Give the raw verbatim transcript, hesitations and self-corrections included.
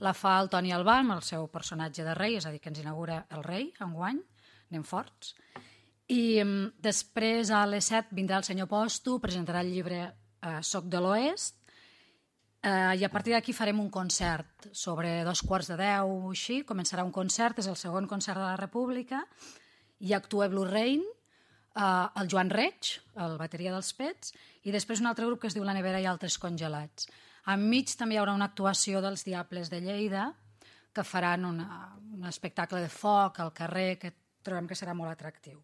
la fa el Toni Albà amb el seu personatge de rei, és a dir, que ens inaugura el rei enguany, anem forts. I um, després a les set vindrà el senyor Posto, presentarà el llibre uh, Soc de l'Oest, uh, i a partir d'aquí farem un concert sobre dos quarts de deu o així, començarà un concert, és el segon concert de la República, i actua Blue Rain, uh, el Joan Reig, el bateria dels Pets, i després un altre grup que es diu La Nevera i Altres Congelats. Enmig també hi haurà una actuació dels Diables de Lleida, que faran una, un espectacle de foc al carrer que trobem que serà molt atractiu.